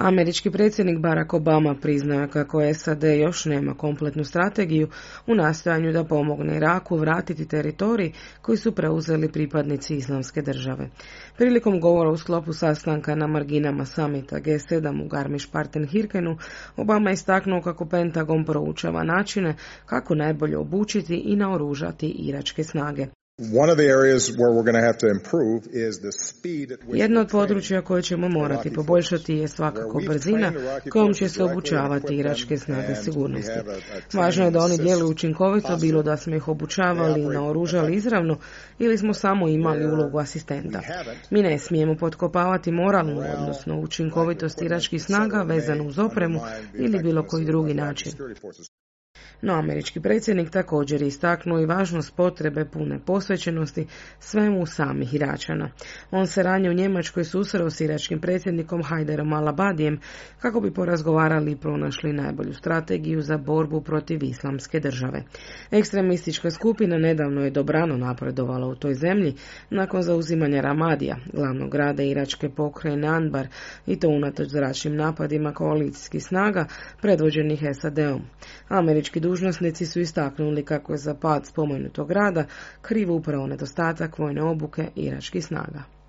Američki predsjednik Barack Obama priznao je kako SAD još nema kompletnu strategiju u nastojanju da pomogne Iraku vratiti teritorij koji su preuzeli pripadnici Islamske države. Prilikom govora u sklopu sastanka na marginama samita G7 u Garmisch-Partenkirchenu, Obama je istaknuo kako Pentagon proučava načine kako najbolje obučiti i naoružati iračke snage. Jedno od područja koje ćemo morati poboljšati je svakako brzina kojom će se obučavati iračke snage sigurnosti. Važno je da oni djeluju učinkovito, bilo da smo ih obučavali i naoružali izravno ili smo samo imali ulogu asistenta. Mi ne smijemo potkopavati moralnu, odnosno učinkovitost iračkih snaga vezanu uz opremu ili bilo koji drugi način. No, američki predsjednik također je istaknuo i važnost potrebe pune posvećenosti svemu samih Iračana. On se ranije u Njemačkoj susreo s iračkim predsjednikom Hajderom al-Abadijem kako bi porazgovarali i pronašli najbolju strategiju za borbu protiv Islamske države. Ekstremistička skupina nedavno je dobrano napredovala u toj zemlji nakon zauzimanja Ramadija, glavnog grada iračke pokrajine Anbar, i to unatoč zračnim napadima koalicijskih snaga predvođenih SAD-om. Američki dužnosnici su istaknuli kako je za pad spomenutog grada kriv upravo nedostatak vojne obuke iračkih snaga.